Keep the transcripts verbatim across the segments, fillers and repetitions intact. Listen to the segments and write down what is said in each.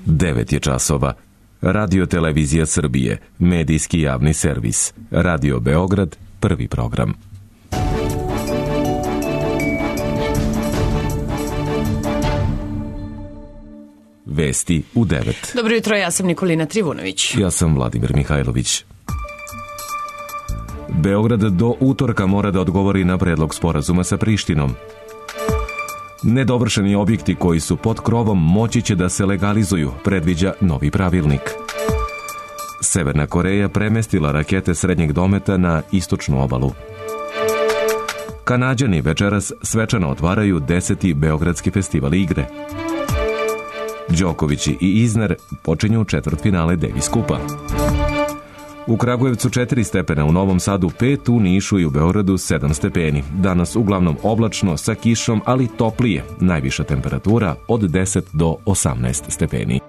devet je časova. Radio Televizija Srbije, medijski javni servis. Radio Beograd, prvi program. Vesti u devet. Dobro jutro, ja sam Nikolina Trivunović. Ja sam Vladimir Mihajlović. Beograd do utorka mora da odgovori na predlog sporazuma sa Prištinom. Nedovršeni objekti koji su pod krovom moći će da se legalizuju, predviđa novi pravilnik. Severna Koreja premestila rakete srednjeg dometa na istočnu obalu. Kanađani večeras svečano otvaraju deseti Beogradski festival igre. Đoković i Isner počinju četvrtfinale Davis kupa. U Kragujevcu četiri stepena, u Novom Sadu pet, u Nišu i u Beogradu sedam stepeni. Danas uglavnom oblačno sa kišom, ali toplije. Najviša temperatura od deset do osamnaest stepeni.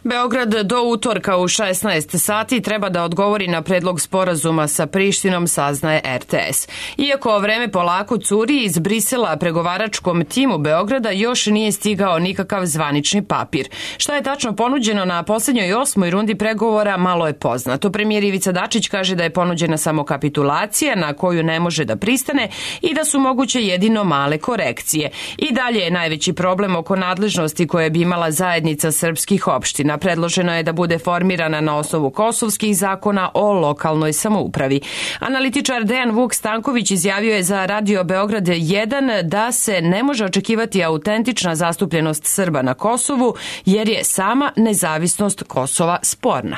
Beograd do utorka u šesnaest sati treba da odgovori na predlog sporazuma sa Prištinom, saznaje er te es. Iako vreme polako curi, iz Brisela pregovaračkom timu Beograda još nije stigao nikakav zvanični papir. Šta je tačno ponuđeno na poslednjoj osmoj rundi pregovora, malo je poznato. Premijer Ivica Dačić kaže da je ponuđena samo kapitulacija na koju ne može da pristane i da su moguće jedino male korekcije. I dalje je najveći problem oko nadležnosti koje bi imala zajednica srpskih opština. Predloženo je da bude formirana na osnovu kosovskih zakona o lokalnoj samoupravi. Analitičar Dejan Vuk Stanković izjavio je za Radio Beograd jedan da se ne može očekivati autentična zastupljenost Srba na Kosovu, jer je sama nezavisnost Kosova sporna.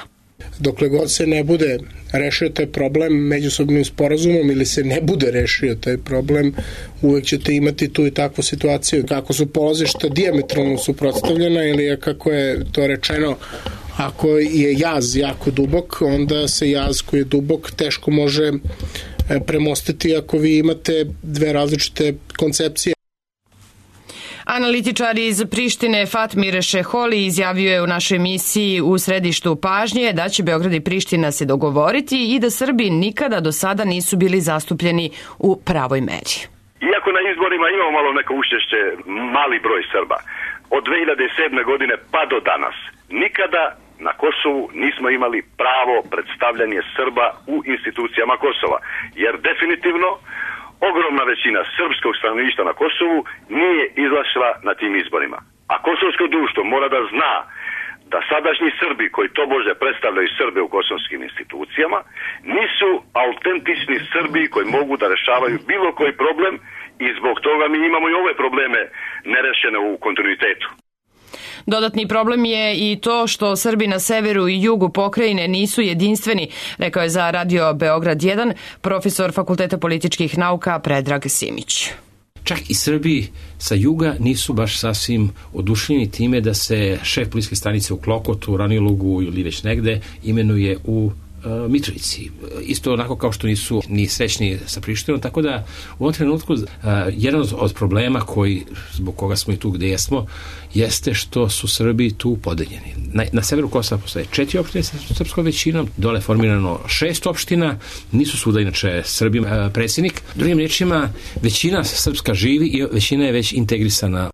Dokle god se ne bude rešio taj problem međusobnim sporazumom ili se ne bude rešio taj problem, uvek ćete imati tu i takvu situaciju. Kako su polazišta dijametralno suprotstavljena ili kako je to rečeno, ako je jaz jako dubok, onda se jaz koji je dubok teško može premostiti ako vi imate dve različite koncepcije. Analitičar iz Prištine Fatmir Šeholi izjavio je u našoj emisiji U središtu pažnje da će Beograd i Priština se dogovoriti i da Srbi nikada do sada nisu bili zastupljeni u pravoj meri. Iako na izborima imamo malo neko učešće, mali broj Srba, od dve hiljade sedme. godine pa do danas, nikada na Kosovu nismo imali pravo predstavljanje Srba u institucijama Kosova, jer definitivno ogromna većina srpskog stanovništva na Kosovu nije izlazila na tim izborima. A kosovsko društvo mora da zna da sadašnji Srbi koji tobože predstavljaju Srbe u kosovskim institucijama nisu autentični Srbi koji mogu da rešavaju bilo koji problem i zbog toga mi imamo i ove probleme nerešene u kontinuitetu. Dodatni problem je i to što Srbi na severu i jugu pokrajine nisu jedinstveni, rekao je za Radio Beograd jedan profesor Fakulteta političkih nauka Predrag Simić. Čak i Srbi sa juga nisu baš sasvim oduševljeni time da se šef policijske stanice u Klokotu, Ranilugu ili već negde imenuje u Mitrovici. Isto onako kao što nisu ni srećni sa Prištinom, tako da u ovom trenutku uh, jedan od problema koji, zbog koga smo i tu gde jesmo, jeste što su Srbi tu podeljeni. Na, na severu Kosova postoje četiri opštine sa srpskom većinom, dole je formirano šest opština, nisu svuda inače Srbi uh, predsjednik. Drugim rečima, većina srpska živi i većina je već integrisana.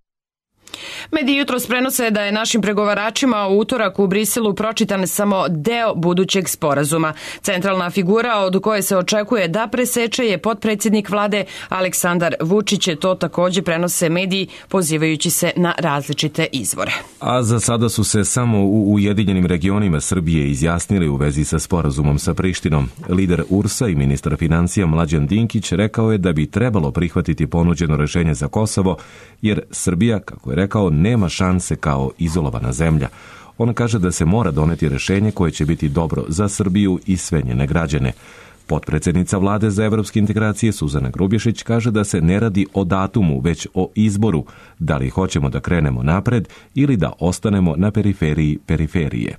Mediji jutros prenose da je našim pregovaračima u utorak u Briselu pročitan samo deo budućeg sporazuma. Centralna figura od koje se očekuje da preseče je potpredsjednik vlade Aleksandar Vučić. To takođe prenose mediji pozivajući se na različite izvore. A za sada su se samo u Ujedinjenim regionima Srbije izjasnili u vezi sa sporazumom sa Prištinom. Lider U R S-a i ministar financija Mlađan Dinkić rekao je da bi trebalo prihvatiti ponuđeno rešenje za Kosovo, jer Srbija, kako je rekao, nema šanse kao izolovana zemlja. On kaže da se mora doneti rešenje koje će biti dobro za Srbiju i sve njene građane. Potpredsjednica vlade za evropske integracije Suzana Grubješić kaže da se ne radi o datumu, već o izboru, da li hoćemo da krenemo napred ili da ostanemo na periferiji periferije.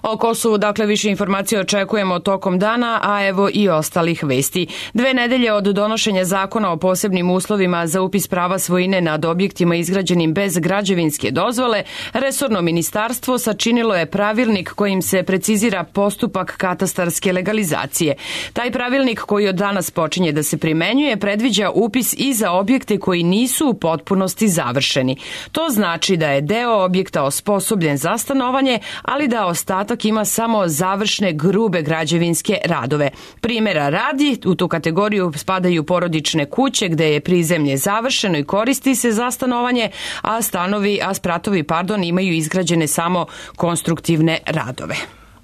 O Kosovu, dakle, više informacija očekujemo tokom dana, a evo i ostalih vesti. Dve nedelje od donošenja zakona o posebnim uslovima za upis prava svojine nad objektima izgrađenim bez građevinske dozvole, resorno ministarstvo sačinilo je pravilnik kojim se precizira postupak katastarske legalizacije. Taj pravilnik koji od danas počinje da se primenjuje predviđa upis i za objekte koji nisu u potpunosti završeni. To znači da je deo objekta osposobljen za stanovanje, ali da ostatak ima samo završne grube građevinske radove. Primjera radi, u tu kategoriju spadaju porodične kuće gde je prizemlje završeno i koristi se za stanovanje, a stanovi, a spratovi, pardon, imaju izgrađene samo konstruktivne radove.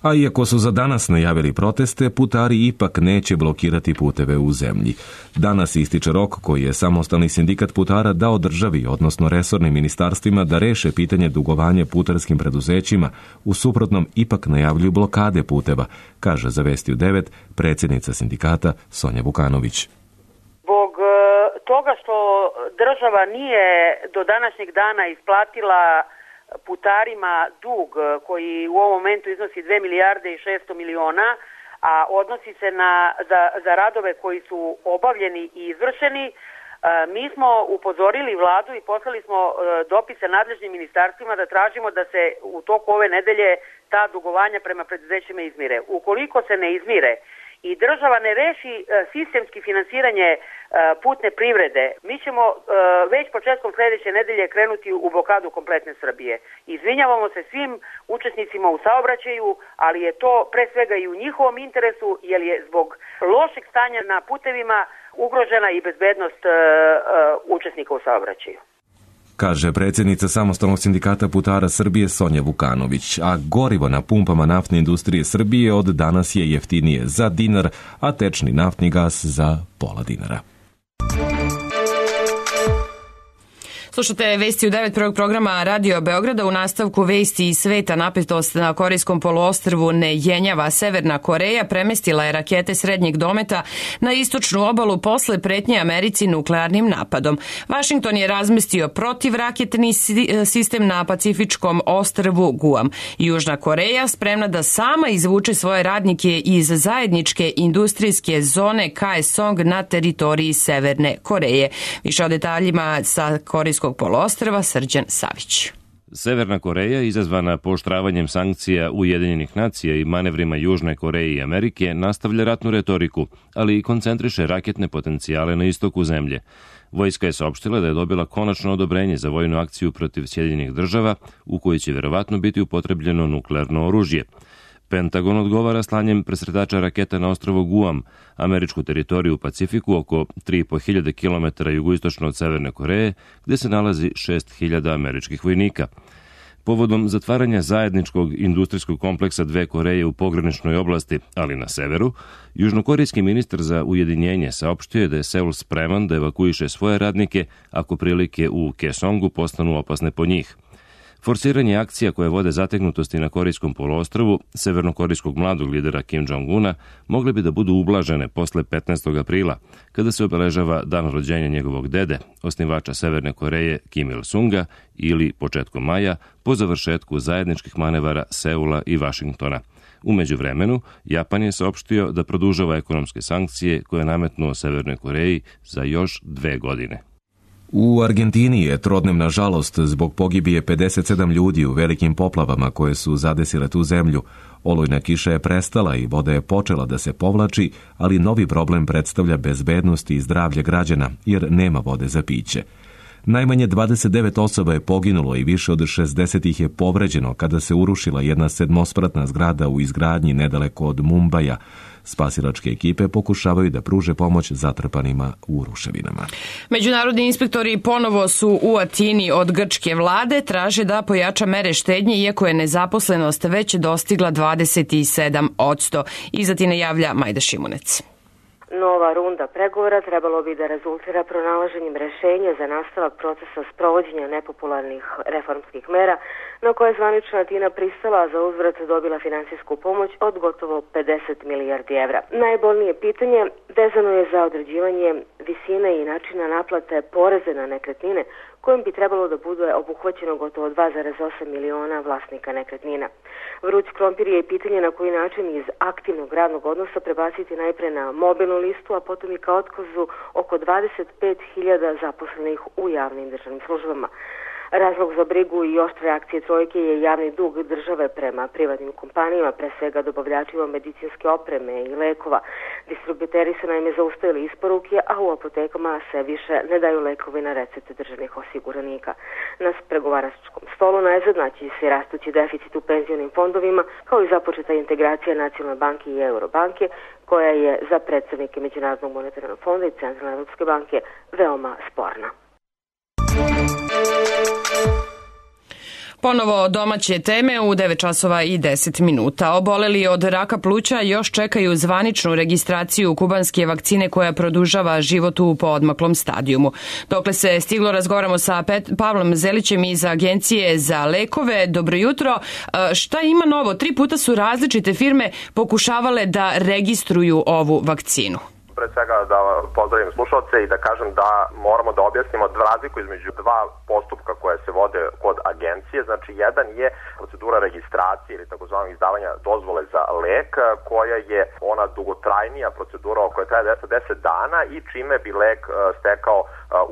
A iako su za danas najavili proteste, putari ipak neće blokirati puteve u zemlji. Danas ističe rok koji je samostalni sindikat putara dao državi, odnosno resornim ministarstvima, da reše pitanje dugovanja putarskim preduzećima. U suprotnom ipak najavljuju blokade puteva, kaže za Vesti u devet predsjednica sindikata Sonja Vukanović. Zbog toga što država nije do današnjeg dana isplatila putarima dug koji u ovom momentu iznosi dve milijarde i šesto miliona, a odnosi se na, za, za radove koji su obavljeni i izvršeni, mi smo upozorili vladu i poslali smo dopise nadležnim ministarstvima da tražimo da se u toku ove nedelje ta dugovanja prema preduzećima izmire. Ukoliko se ne izmire i država ne reši sistemski finansiranje putne privrede, mi ćemo već početkom sljedeće nedelje krenuti u blokadu kompletne Srbije. Izvinjavamo se svim učesnicima u saobraćaju, ali je to pre svega i u njihovom interesu, jer je zbog lošeg stanja na putevima ugrožena i bezbednost učesnika u saobraćaju. Kaže predsjednica samostalnog sindikata putara Srbije Sonja Vukanović, a gorivo na pumpama naftne industrije Srbije od danas je jeftinije za dinar, a tečni naftni gas za pola dinara. Slušate Vesti u devet prvog programa Radio Beograda. U nastavku vesti iz sveta napetost na Korejskom poluostrvu ne jenjava. Severna Koreja premestila je rakete srednjeg dometa na istočnu obalu posle pretnje Americi nuklearnim napadom. Vašington je razmestio protivraketni sistem na pacifičkom ostrvu Guam. Južna Koreja spremna da sama izvuče svoje radnike iz zajedničke industrijske zone Kaesong na teritoriji Severne Koreje. Više o detaljima sa Korejskog poluostrva Srđan Savić. Severna Koreja, izazvana pooštravanjem sankcija Ujedinjenih nacija i manevrima Južne Koreje i Amerike, nastavlja ratnu retoriku, ali i koncentriše raketne potencijale na istoku zemlje. Vojska je saopštila da je dobila konačno odobrenje za vojnu akciju protiv Sjedinjenih država, u kojoj će verovatno biti upotrebljeno nuklearno oružje. Pentagon odgovara slanjem presretača raketa na ostrvo Guam, američku teritoriju u Pacifiku oko tri i po hiljade kilometara jugoistočno od Severne Koreje, gde se nalazi šest hiljada američkih vojnika. Povodom zatvaranja zajedničkog industrijskog kompleksa dve Koreje u pograničnoj oblasti, ali na severu, južnokorejski ministar za ujedinjenje saopštio je da je Seul spreman da evakuiše svoje radnike ako prilike u Kaesongu postanu opasne po njih. Forsiranje akcija koje vode zategnutosti na Korejskom poluostrvu severnokorejskog mladog lidera Kim Jong-una mogle bi da budu ublažene posle petnaestog aprila, kada se obeležava dan rođenja njegovog dede, osnivača Severne Koreje Kim Il-sunga, ili početkom maja, po završetku zajedničkih manevara Seula i Vašingtona. U međuvremenu, Japan je saopštio da produžava ekonomske sankcije koje je nametnuo Severnoj Koreji za još dve godine. U Argentini je trodnevna žalost zbog pogibije pedeset sedam ljudi u velikim poplavama koje su zadesile tu zemlju. Olujna kiša je prestala i voda je počela da se povlači, ali novi problem predstavlja bezbednost i zdravlje građana, jer nema vode za piće. Najmanje dvadeset devet osoba je poginulo i više od šezdeset ih je povređeno kada se urušila jedna sedmospratna zgrada u izgradnji nedaleko od Mumbaja. Spasilačke ekipe pokušavaju da pruže pomoć zatrpanima u ruševinama. Međunarodni inspektori ponovo su u Atini od grčke vlade, traže da pojača mere štednje, iako je nezaposlenost već dostigla dvadeset sedam posto. Iz Atine javlja Majda Šimunec. Nova runda pregovora trebalo bi da rezultira pronalaženjem rešenja za nastavak procesa sprovođenja nepopularnih reformskih mera, na koje je zvanična Atina pristala, a za uzvrat dobila finansijsku pomoć od gotovo pedeset milijardi evra. Najbolnije pitanje vezano je za određivanje visine i načina naplate poreze na nekretnine, kojim bi trebalo da bude obuhvaćeno gotovo dva zarez osam miliona vlasnika nekretnina. Vruć krompir je i pitanje na koji način iz aktivnog radnog odnosa prebaciti najpre na mobilnu listu, a potom i ka otkazu oko dvadeset pet hiljada zaposlenih u javnim državnim službama. Razlog za brigu i oštre reakcije trojke je javni dug države prema privatnim kompanijama, pre svega dobavljačima medicinske opreme i lekova. Distributeri su naime zaustavili isporuke, a u apotekama se više ne daju lekovi na recepte državnih osiguranika. Na pregovaračkom stolu najzad naći se rastući deficit u penzionim fondovima, kao i započeta integracija Nacionalne banke i Eurobanke, koja je za predstavnike Međunarodnog monetarnog fonda i Centralne Evropske banke veoma sporna. Ponovo domaće teme u devet časova i deset minuta. Oboleli od raka pluća još čekaju zvaničnu registraciju kubanske vakcine koja produžava život u poodmaklom stadijumu. Dokle se stiglo, razgovaramo sa Pavlom Zelićem iz Agencije za lekove. Dobro jutro. Šta ima novo? Tri puta su različite firme pokušavale da registruju ovu vakcinu. Pre svega da pozdravim slušalce i da kažem da moramo da objasnimo razliku između dva postupka koje se vode kod agencije. Znači, jedan je procedura registracije ili takozvanog izdavanja dozvole za lek, koja je ona dugotrajnija procedura koja traje deset dana i čime bi lek stekao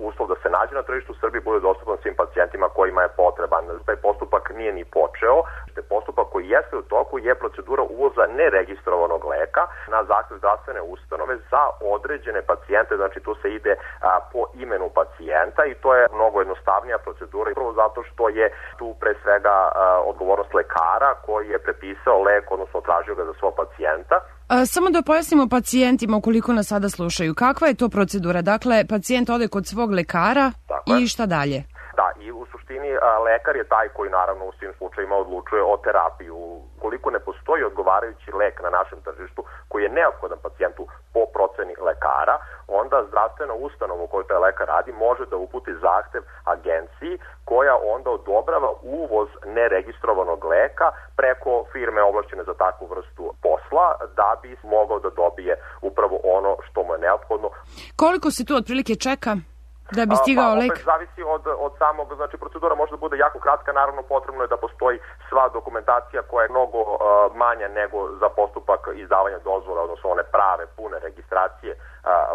uslov da se nađe na tržištu u Srbiji, bude dostupan svim pacijentima kojima je potreban. Taj postupak nije ni počeo. Postupak koji jeste u toku je procedura uvoza neregistrovanog leka na zahtev zdravstvene ustanove za određene pacijente, znači tu se ide a, po imenu pacijenta i to je mnogo jednostavnija procedura, prvo zato što je tu pre svega a, odgovornost lekara koji je prepisao lek, odnosno tražio ga za svog pacijenta. A, samo da pojasnimo pacijentima ukoliko nas sada slušaju, kakva je to procedura? Dakle, pacijent ode kod svog lekara i šta dalje? Da, i u suštini a, lekar je taj koji naravno u svim slučajima odlučuje o terapiju. Koliko ne postoji odgovarajući lek na našem tržištu koji je neophodan pacijentu po proceni lekara, onda zdravstvena ustanova u kojoj taj lekar radi može da uputi zahtev agenciji koja onda odobrava uvoz neregistrovanog leka preko firme ovlašćene za takvu vrstu posla da bi mogao da dobije upravo ono što mu je neophodno. Koliko se tu otprilike čeka da bi stigao pa, lek? Opet zavisi od, od samog, znači procedura može da bude jako kratka, naravno potrebno je da postoji sva dokumentacija koja je mnogo uh, manja nego za postupak izdavanja dozvole, odnosno one prave, pune registracije uh,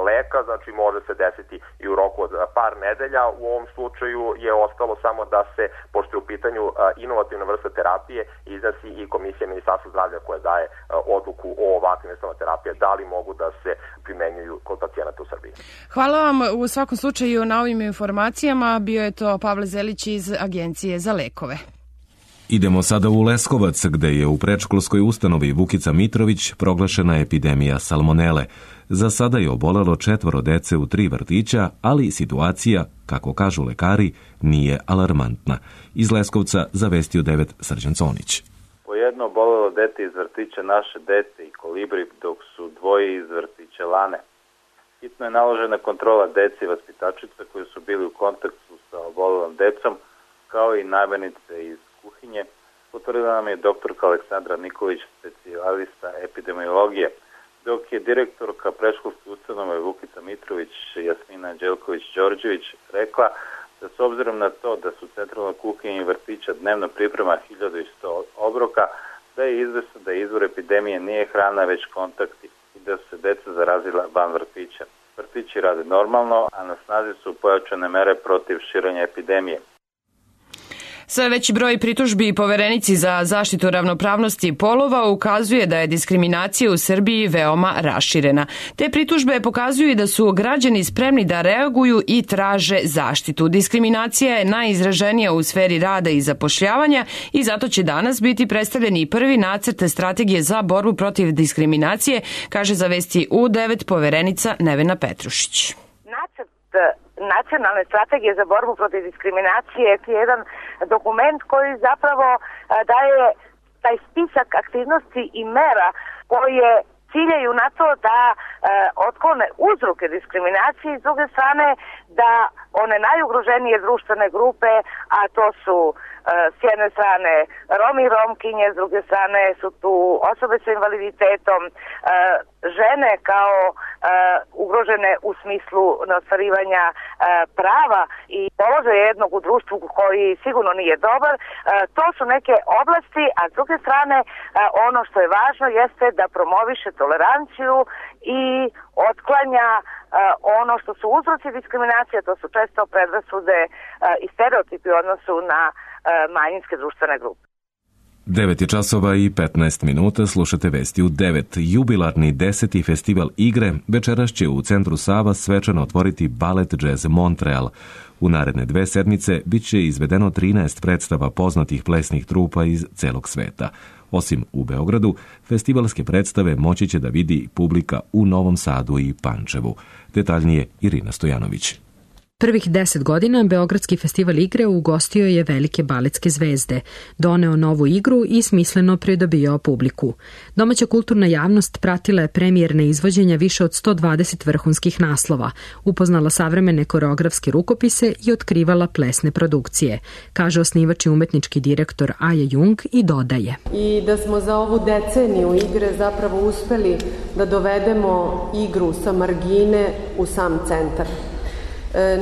leka, znači može se desiti i u roku od par nedelja. U ovom slučaju je ostalo samo da se, pošto je u pitanju uh, inovativna vrsta terapije, iznesi i komisija Ministarstva zdravlja koja daje uh, odluku o ovakvim vrstama terapije, da li mogu da se primenjuju kod pacijenata u Srbiji. Hvala vam u svakom slučaju na ovim informacijama. Bio je to Pavle Zelić iz Agencije za lekove. Idemo sada u Leskovac, gde je u predškolskoj ustanovi Vukica Mitrović proglašena epidemija salmonele. Za sada je obolelo četvoro dece u tri vrtića, ali situacija, kako kažu lekari, nije alarmantna. Iz Leskovca zavestio devet Srđan Conić. Po jedno obolelo dete iz vrtića Naše dete i Kolibri, dok su dvoje iz vrtića Lane. Hitno je naložena kontrola dece i vaspitačica koji su bili u kontaktu sa obolelom decom, kao i najbenice iz kuhinje, potvrdila nam je doktorka Aleksandra Nikolić, specijalista epidemiologije, dok je direktorka predškolske ustanove Vukica Mitrović, Jasmina Đelković-Đorđević, rekla da s obzirom na to da su centralna kuhinja i vrtića dnevno priprema hiljadu sto obroka, da je izvesno da izvor epidemije nije hrana, već kontakti i da su se deca zarazila van vrtića. Vrtići rade normalno, a na snazi su pojačane mere protiv širenja epidemije. Sve veći broj pritužbi Poverenici za zaštitu ravnopravnosti polova ukazuje da je diskriminacija u Srbiji veoma raširena. Te pritužbe pokazuju da su građani spremni da reaguju i traže zaštitu. Diskriminacija je najizraženija u sferi rada i zapošljavanja i zato će danas biti predstavljen i prvi nacrt strategije za borbu protiv diskriminacije, kaže za Vesti U devet Poverenica Nevena Petrušić. Nacrt nacionalne strategije za borbu protiv diskriminacije je jedan dokument koji zapravo daje taj spisak aktivnosti i mera koje ciljaju na to da otklone uzroke diskriminacije i s druge strane da one najugroženije društvene grupe, a to su s jedne strane Romi i Romkinje, s druge strane su tu osobe sa invaliditetom, žene kao ugrožene u smislu ostvarivanja prava i položaja jednog u društvu koji sigurno nije dobar. To su neke oblasti, a s druge strane ono što je važno jeste da promoviše toleranciju i otklanja ono što su uzroci diskriminacije, to su često predrasude i stereotipi u odnosu na manjinske društvene grupe. devet je časova i petnaest minuta, slušate vesti u devet. Jubilarni deseti festival igre večeras će u centru Sava svečano otvoriti Ballet Jazz Montreal. U naredne dve sedmice bit će izvedeno trinaest predstava poznatih plesnih trupa iz celog sveta. Osim u Beogradu, festivalske predstave moći će da vidi publika u Novom Sadu i Pančevu. Detaljnije Irina Stojanović. Prvih deset godina Beogradski festival igre ugostio je velike baletske zvezde, doneo novu igru i smisleno pridobijao publiku. Domaća kulturna javnost pratila je premijerne izvođenja više od sto dvadeset vrhunskih naslova, upoznala savremene koreografske rukopise i otkrivala plesne produkcije, kaže osnivač i umetnički direktor Aja Jung i dodaje. I da smo za ovu deceniju igre zapravo uspeli da dovedemo igru sa margine u sam centar.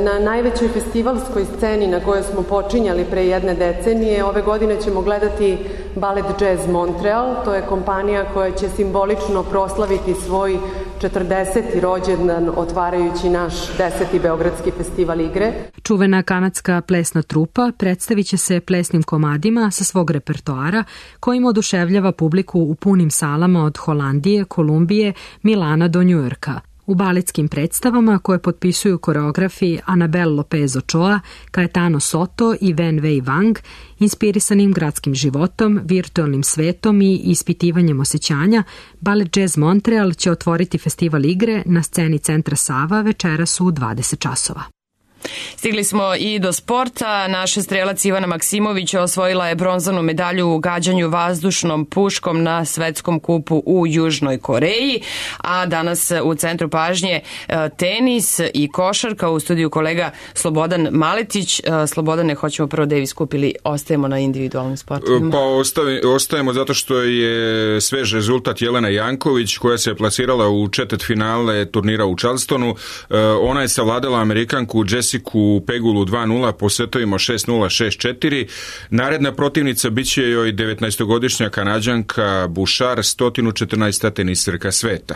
Na najvećoj festivalskoj sceni na kojoj smo počinjali pre jedne decenije, ove godine ćemo gledati Ballet Jazz Montreal. To je kompanija koja će simbolično proslaviti svoj četrdeseti rođendan otvarajući naš deseti Beogradski festival igre. Čuvena kanadska plesna trupa predstavit će se plesnim komadima sa svog repertoara kojim oduševljava publiku u punim salama od Holandije, Kolumbije, Milana do Njujorka. U baletskim predstavama koje potpisuju koreografi Anabel Lopez Ochoa, Caetano Soto i Wen Wei Wang, inspirisanim gradskim životom, virtualnim svetom i ispitivanjem osjećanja, Ballet Jazz Montreal će otvoriti festival igre na sceni centra Sava večeras u dvadeset časova. Stigli smo i do sporta. Naša strelac Ivana Maksimović osvojila je bronzanu medalju u gađanju vazdušnom puškom na svetskom kupu u Južnoj Koreji, a danas u centru pažnje tenis i košarka. U studiju kolega Slobodan Maletić. Slobodane, hoćemo prvo Davis kup ili ostajemo na individualnim sportovima? Pa ostavi, ostajemo zato što je svež rezultat Jelena Janković koja se je plasirala u četvrtfinale turnira u Charlestonu. Ona je savladala Amerikanku Jessica u Pegulu dva nula po setovima šest nula, šest četiri. Naredna protivnica biće joj devetnaestogodišnja Kanađanka Bouchard, sto četrnaesta teniserka sveta.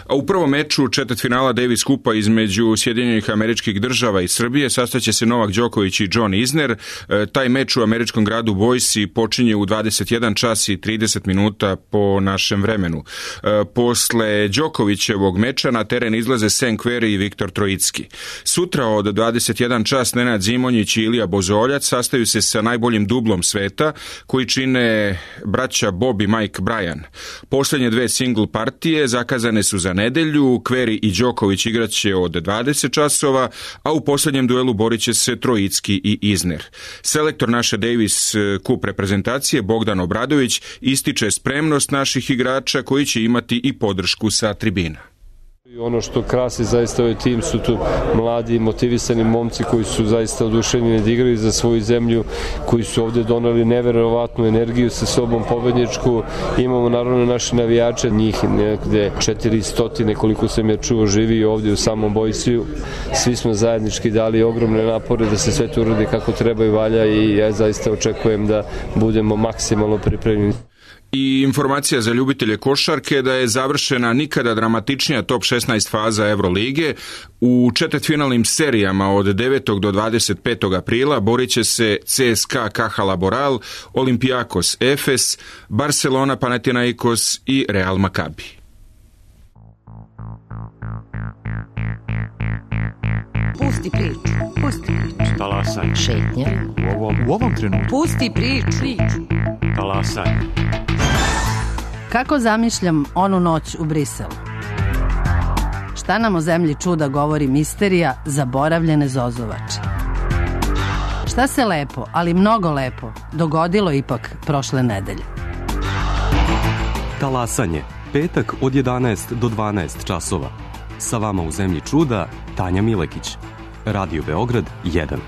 A u prvom meču četvrtfinala Davis kupa između Sjedinjenih Američkih Država i Srbije sastaće se Novak Đoković i John Isner. Taj meč u američkom gradu Boise počinje u dvadeset jedan čas i trideset minuta po našem vremenu. Posle Đokovićevog meča na teren izlaze Sam Querrey i Viktor Trojicki. Sutra od dvadeset jedan čas Nenad Zimonjić i Ilija Bozoljac sastaju se sa najboljim dublom sveta koji čine braća Bob i Mike Bryan. Posljednje dve single partije zakazane su za nedelju. Querrey i Đoković igraće od dvadeset časova, a u posljednjem duelu borit će se Trojicki i Isner. Selektor naše Davis Cup reprezentacije Bogdan Obradović ističe spremnost naših igrača koji će imati i podršku sa tribina. Ono što krasi zaista ovaj tim su tu mladi motivisani momci koji su zaista oduševljeni da igraju za svoju zemlju, koji su ovdje doneli neverovatnu energiju sa sobom pobedničku. Imamo naravno naše navijače, njih nekde četiristo koliko sam ja čuo živi ovdje u samom Boisiju. Svi smo zajednički dali ogromne napore da se sve to uradi kako treba i valja i ja zaista očekujem da budemo maksimalno pripremljeni. I informacija za ljubitelje košarke da je završena nikada dramatičnija top šesnaest faza Evrolige. U četvrtfinalnim serijama od devetog do dvadeset petog aprila borit će se C S K A Caja Laboral, Olympiakos Efes, Barcelona Panathinaikos i Real Maccabi. Pusti priču, pusti priču. Talasaj. Šetnja. U ovom, u ovom trenutku. Pusti priču. Talasaj. Kako zamišljam onu noć u Briselu? Šta nam o zemlji čuda govori misterija zaboravljene zozovače? Šta se lepo, ali mnogo lepo, dogodilo ipak prošle nedelje? Talasanje. Petak od jedanaest do dvanaest časova. Sa vama u zemlji čuda Tanja Milekić. Radio Beograd jedan.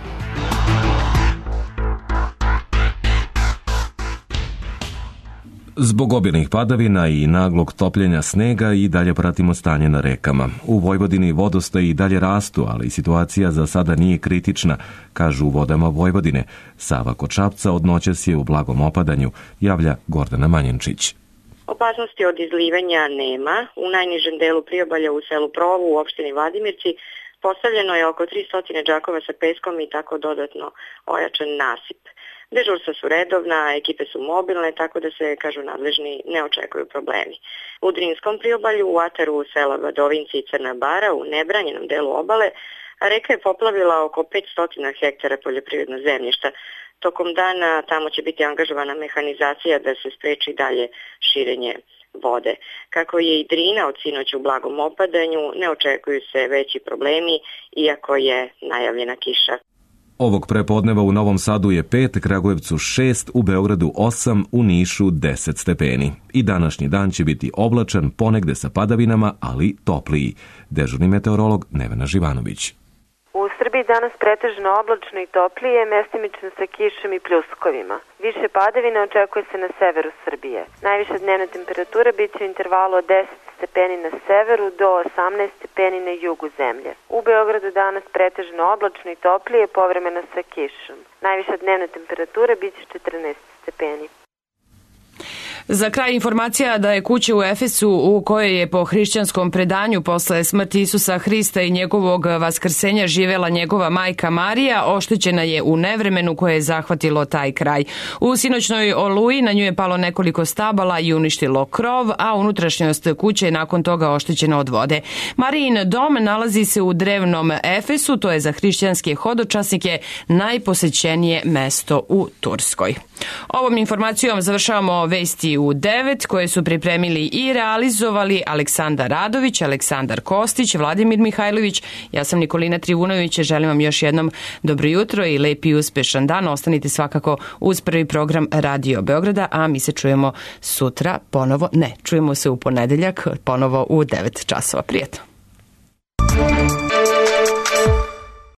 Zbog obilnih padavina i naglog topljenja snega i dalje pratimo stanje na rekama. U Vojvodini vodostaji i dalje rastu, ali situacija za sada nije kritična, kažu u Vodama Vojvodine. Sava kod Šapca od noćas je u blagom opadanju, javlja Gordana Manjenčić. Opasnosti od izlivanja nema. U najnižem delu priobalja u selu Provu u opštini Vladimirci postavljeno je oko tristo džakova sa peskom i tako dodatno ojačan nasip. Dežurstva su redovna, ekipe su mobilne, tako da se, kažu nadležni, ne očekuju problemi. U Drinskom priobalju, u ataru sela Vadovinci i Crna Bara, u nebranjenom delu obale, reka je poplavila oko petsto hektara poljoprivrednog zemljišta. Tokom dana tamo će biti angažovana mehanizacija da se spreči dalje širenje vode. Kako je i Drina od sinoć u blagom opadanju, ne očekuju se veći problemi, iako je najavljena kiša. Ovog prepodneva u Novom Sadu je pet, Kragujevcu šest, u Beogradu osam, u Nišu deset stepeni. I današnji dan će biti oblačan, ponegde sa padavinama, ali topliji. Dežurni meteorolog Nevena Živanović. U Srbiji danas pretežno oblačno i toplije, mestimično sa kišom i pljuskovima. Više padavina očekuje se na severu Srbije. Najviša dnevna temperatura biće u intervalu od deset stepeni na severu do osamnaest stepeni na jugu zemlje. U Beogradu danas pretežno oblačno i toplije, povremeno sa kišom. Najviša dnevna temperatura biće četrnaest stepeni. Za kraj informacija da je kuća u Efesu u kojoj je po hrišćanskom predanju posle smrti Isusa Hrista i njegovog vaskrsenja živela njegova majka Marija, oštećena je u nevremenu koje je zahvatilo taj kraj. U sinoćnoj oluji na nju je palo nekoliko stabala i uništilo krov, a unutrašnjost kuće je nakon toga oštećena od vode. Marijin dom nalazi se u drevnom Efesu, to je za hrišćanske hodočasnike najposećenije mesto u Turskoj. Ovom informacijom završavamo vesti u devet koje su pripremili i realizovali Aleksandar Radović, Aleksandar Kostić, Vladimir Mihajlović. Ja sam Nikolina Trivunović, želim vam još jednom dobro jutro i lep i uspešan dan. Ostanite svakako uz prvi program Radio Beograda, a mi se čujemo sutra ponovo, ne, čujemo se u ponedeljak ponovo u devet časova. Prijetno.